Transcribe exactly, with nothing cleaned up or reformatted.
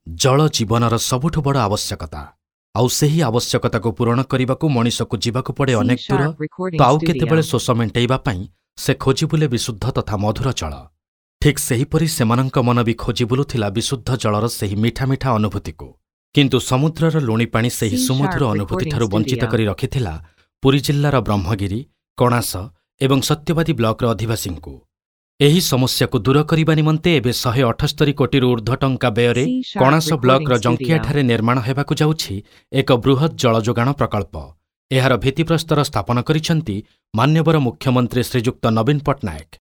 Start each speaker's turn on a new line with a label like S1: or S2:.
S1: ଜଳ ଜୀବନର ସବୁଠୁ ବଡ଼ ଆବଶ୍ୟକତା। ଆଉ ସେହି ଆବଶ୍ୟକତାକୁ ପୂରଣ କରିବାକୁ ମଣିଷକୁ ଯିବାକୁ ପଡ଼େ
S2: C
S1: ଅନେକ ଦୂର
S2: Sharp Recording
S1: ତ ଆଉ କେତେବେଳେ
S2: Studio.
S1: ଶୋଷ ମେଣ୍ଟେଇବା ପାଇଁ ସେ ଖୋଜି ବୁଲେ ବିଶୁଦ୍ଧ ତଥା ମଧୁର ଜଳ। ଠିକ୍ ସେହିପରି ସେମାନଙ୍କ ମନ ବି ଖୋଜି ବୁଲୁଥିଲା ବିଶୁଦ୍ଧ ଜଳର ସେହି ମିଠା ମିଠା ଅନୁଭୂତିକୁ। କିନ୍ତୁ ସମୁଦ୍ରର ଲୁଣି ପାଣି ସେହି
S2: C
S1: ସୁମଧୁର
S2: Sharp Recording
S1: ଅନୁଭୂତିଠାରୁ ବଞ୍ଚିତ
S2: Studio.
S1: କରି ରଖିଥିଲା ପୁରୀ ଜିଲ୍ଲାର ବ୍ରହ୍ମଗିରି, କଣାସ ଏବଂ ସତ୍ୟବାଦୀ ବ୍ଲକର ଅଧିବାସୀଙ୍କୁ। ଏହି ସମସ୍ୟାକୁ ଦୂର କରିବା ନିମନ୍ତେ ଏବେ ଶହେ ଅଠସ୍ତରୀ କୋଟିରୁ ଊର୍ଦ୍ଧ୍ୱ ଟଙ୍କା ବ୍ୟୟରେ
S2: C Sharp
S1: Kanas
S2: Recording
S1: ବ୍ଲକର
S2: Studio.
S1: ଜଙ୍କିଆଠାରେ ନିର୍ମାଣ ହେବାକୁ ଯାଉଛି ଏକ ବୃହତ୍ ଜଳ ଯୋଗାଣ ପ୍ରକଳ୍ପ। ଏହାର ଭିତ୍ତିପ୍ରସ୍ତର ସ୍ଥାପନ କରିଛନ୍ତି ମାନ୍ୟବର ମୁଖ୍ୟମନ୍ତ୍ରୀ ଶ୍ରୀଯୁକ୍ତ ନବୀନ ପଟ୍ଟନାୟକ।